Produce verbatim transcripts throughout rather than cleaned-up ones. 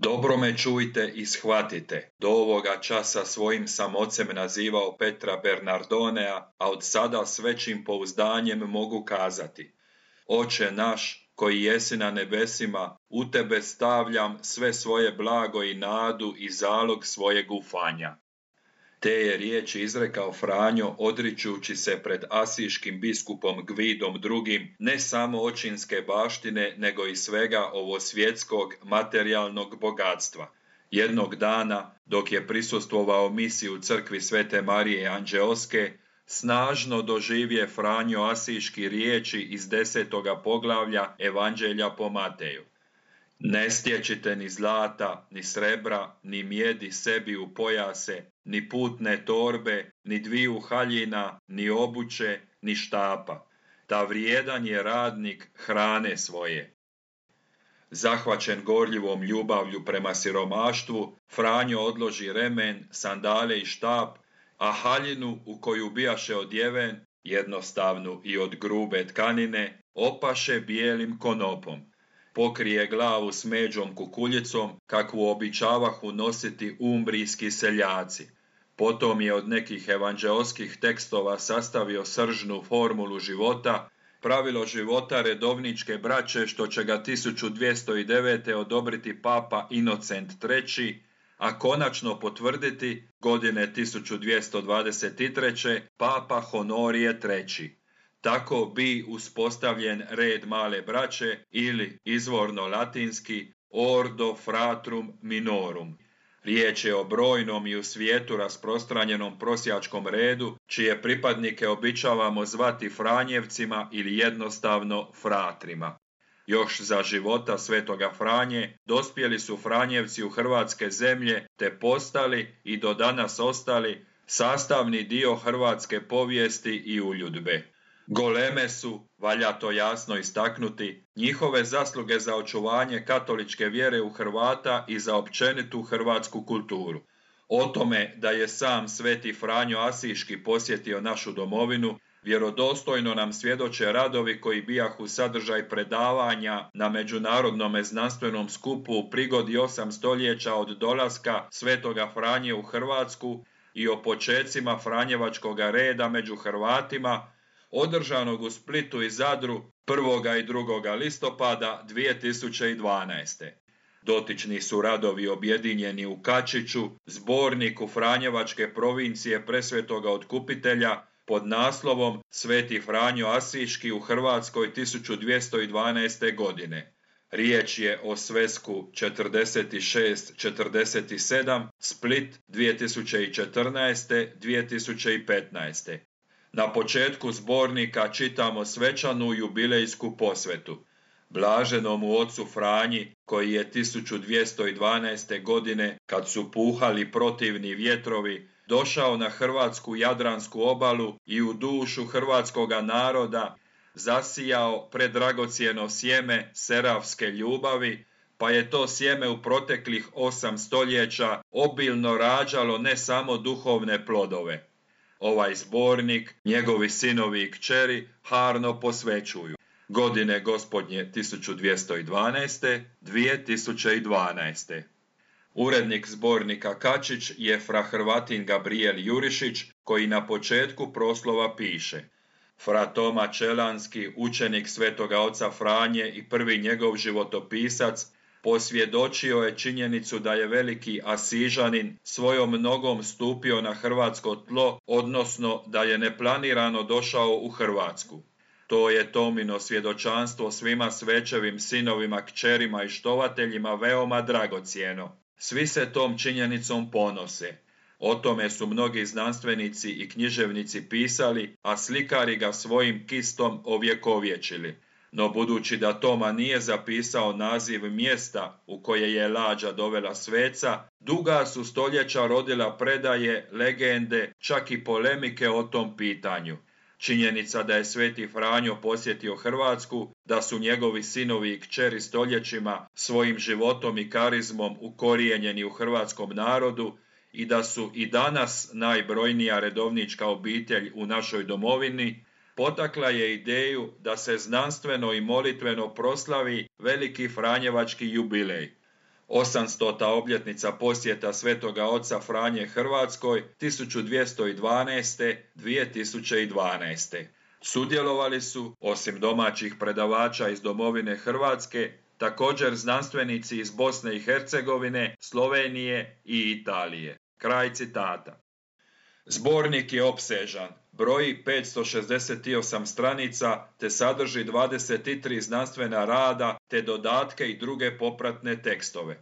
Dobro me čujte i shvatite, do ovoga časa svojim sam ocem nazivao Petra Bernardonea, a od sada s većim pouzdanjem mogu kazati: Oče naš, koji jesi na nebesima, u tebe stavljam sve svoje blago i nadu i zalog svojeg ufanja. Te je riječi izrekao Franjo odričući se pred asiškim biskupom Gvidom drugim ne samo očinske baštine, nego i svega ovo svjetskog materijalnog bogatstva. Jednog dana, dok je prisustvovao misiji u crkvi Svete Marije Anđeoske, snažno doživje Franjo asiški riječi iz desetoga poglavlja Evanđelja po Mateju. Ne stječite ni zlata, ni srebra, ni mjedi sebi u pojase, ni putne torbe, ni dviju haljina, ni obuće, ni štapa. Ta vrijedan je radnik hrane svoje. Zahvaćen gorljivom ljubavlju prema siromaštvu, Franjo odloži remen, sandale i štap, a haljinu u koju bijaše odjeven, jednostavnu i od grube tkanine, opaše bijelim konopom. Pokrije glavu smeđom kukuljicom, kakvu običavahu nositi umbrijski seljaci. Potom je od nekih evanđeoskih tekstova sastavio sržnu formulu života, pravilo života redovničke braće, što će ga tisuću dvjesto devete. odobriti papa Inocent treći, a konačno potvrditi godine tisuću dvjesto dvadeset treće. papa Honorije treći. Tako bi uspostavljen red male braće ili izvorno latinski ordo fratrum minorum. Riječ je o brojnom i u svijetu rasprostranjenom prosjačkom redu, čije pripadnike običavamo zvati Franjevcima ili jednostavno fratrima. Još za života svetoga Franje dospjeli su Franjevci u hrvatske zemlje te postali i do danas ostali sastavni dio hrvatske povijesti i uljudbe. Goleme su, valja to jasno istaknuti, njihove zasluge za očuvanje katoličke vjere u Hrvata i za općenitu hrvatsku kulturu. O tome da je sam sveti Franjo Asiški posjetio našu domovinu, vjerodostojno nam svjedoče radovi koji bijahu sadržaj predavanja na međunarodnom znanstvenom skupu u prigodi osam stoljeća od dolaska svetoga Franje u Hrvatsku i o počecima Franjevačkoga reda među Hrvatima, održanog u Splitu i Zadru prvoga i drugoga listopada dvije tisuće dvanaeste. Dotični su radovi objedinjeni u Kačiću, zborniku Franjevačke provincije Presvetoga Otkupitelja, pod naslovom Sveti Franjo Asiški u Hrvatskoj tisuću dvjesto dvanaeste. godine. Riječ je o svesku četrdeset šest četrdeset sedam, Split dvije tisuće četrnaeste do dvije tisuće petnaeste. Na početku zbornika čitamo svečanu jubilejsku posvetu. Blaženomu ocu Franji, koji je tisuću dvjesto dvanaeste. godine, kad su puhali protivni vjetrovi, došao na hrvatsku jadransku obalu i u dušu hrvatskoga naroda zasijao predragocjeno sjeme serafske ljubavi, pa je to sjeme u proteklih osam stoljeća obilno rađalo ne samo duhovne plodove. Ovaj zbornik, njegovi sinovi i kćeri harno posvećuju. Godine gospodnje tisuću dvjesto dvanaeste. dvije tisuće dvanaeste. Urednik zbornika Kačić je fra Hrvatin Gabriel Jurišić, koji na početku proslova piše: Fra Toma Čelanski, učenik svetoga oca Franje i prvi njegov životopisac, posvjedočio je činjenicu da je veliki Asižanin svojom nogom stupio na hrvatsko tlo, odnosno da je neplanirano došao u Hrvatsku. To je Tomino svjedočanstvo svima svećevim sinovima, kćerima i štovateljima veoma dragocjeno. Svi se tom činjenicom ponose. O tome su mnogi znanstvenici i književnici pisali, a slikari ga svojim kistom ovjekovječili. No budući da Toma nije zapisao naziv mjesta u koje je lađa dovela sveca, duga su stoljeća rodila predaje, legende, čak i polemike o tom pitanju. Činjenica da je sveti Franjo posjetio Hrvatsku, da su njegovi sinovi i kćeri stoljećima svojim životom i karizmom ukorijenjeni u hrvatskom narodu i da su i danas najbrojnija redovnička obitelj u našoj domovini, potakla je ideju da se znanstveno i molitveno proslavi veliki Franjevački jubilej. osamstota obljetnica posjeta Svetoga oca Franje Hrvatskoj tisuću dvjesto dvanaeste do dvije tisuće dvanaeste. Sudjelovali su, osim domaćih predavača iz domovine Hrvatske, također znanstvenici iz Bosne i Hercegovine, Slovenije i Italije. Kraj citata. Zbornik je opsežan, broji petsto šezdeset osam stranica te sadrži dvadeset tri znanstvena rada te dodatke i druge popratne tekstove.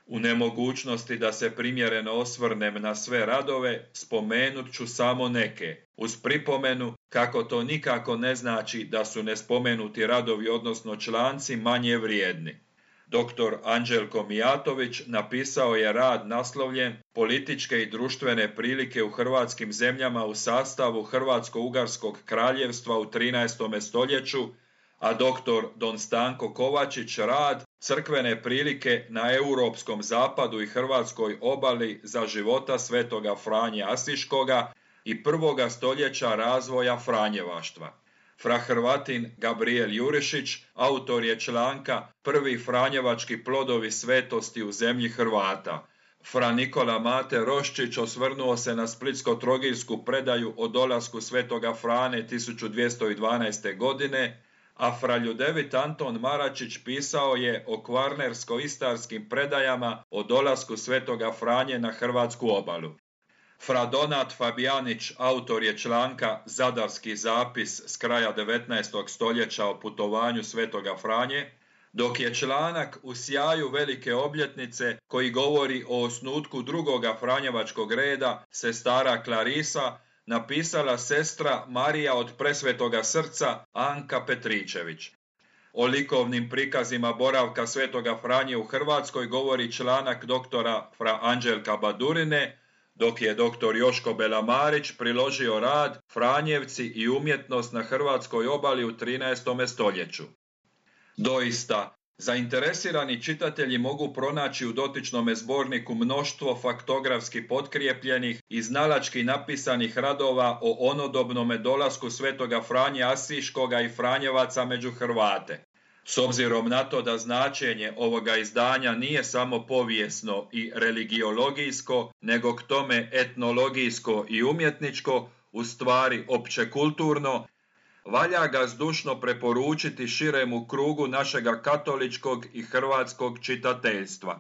U nemogućnosti da se primjereno osvrnem na sve radove, spomenut ću samo neke, uz pripomenu kako to nikako ne znači da su nespomenuti radovi odnosno članci manje vrijedni. doktor Anđelko Mijatović napisao je rad naslovljen Političke i društvene prilike u hrvatskim zemljama u sastavu Hrvatsko-Ugarskog kraljevstva u trinaestom stoljeću, a doktor Don Stanko Kovačić rad Crkvene prilike na europskom zapadu i hrvatskoj obali za života svetoga Franje Asiškoga i prvoga stoljeća razvoja franjevaštva. Fra Hrvatin Gabriel Jurišić autor je članka Prvi franjevački plodovi svetosti u zemlji Hrvata. Fra Nikola Mate Roščić osvrnuo se na splitsko-trogirsku predaju o dolasku svetoga Frane tisuću dvjesto dvanaeste. godine, a fra Ljudevit Anton Maračić pisao je o kvarnersko-istarskim predajama o dolasku svetoga Franje na hrvatsku obalu. Fra Donat Fabijanić autor je članka Zadarski zapis s kraja devetnaestog stoljeća o putovanju svetoga Franje, dok je članak u sjaju velike obljetnice koji govori o osnutku drugoga franjevačkog reda, sestara Klarisa, napisala sestra Marija od Presvetoga srca Anka Petričević. O likovnim prikazima boravka svetoga Franje u Hrvatskoj govori članak doktora fra Anđelka Badurine, dok je doktor Joško Belamarić priložio rad Franjevci i umjetnost na hrvatskoj obali u trinaestom stoljeću. Doista, zainteresirani čitatelji mogu pronaći u dotičnom zborniku mnoštvo faktografski potkrijepljenih i znalački napisanih radova o onodobnome dolasku svetoga Franje Asiškoga i Franjevaca među Hrvate. S obzirom na to da značenje ovoga izdanja nije samo povijesno i religiologijsko, nego k tome etnologijsko i umjetničko, u stvari općekulturno, valja ga zdušno preporučiti širemu krugu našega katoličkog i hrvatskog čitateljstva.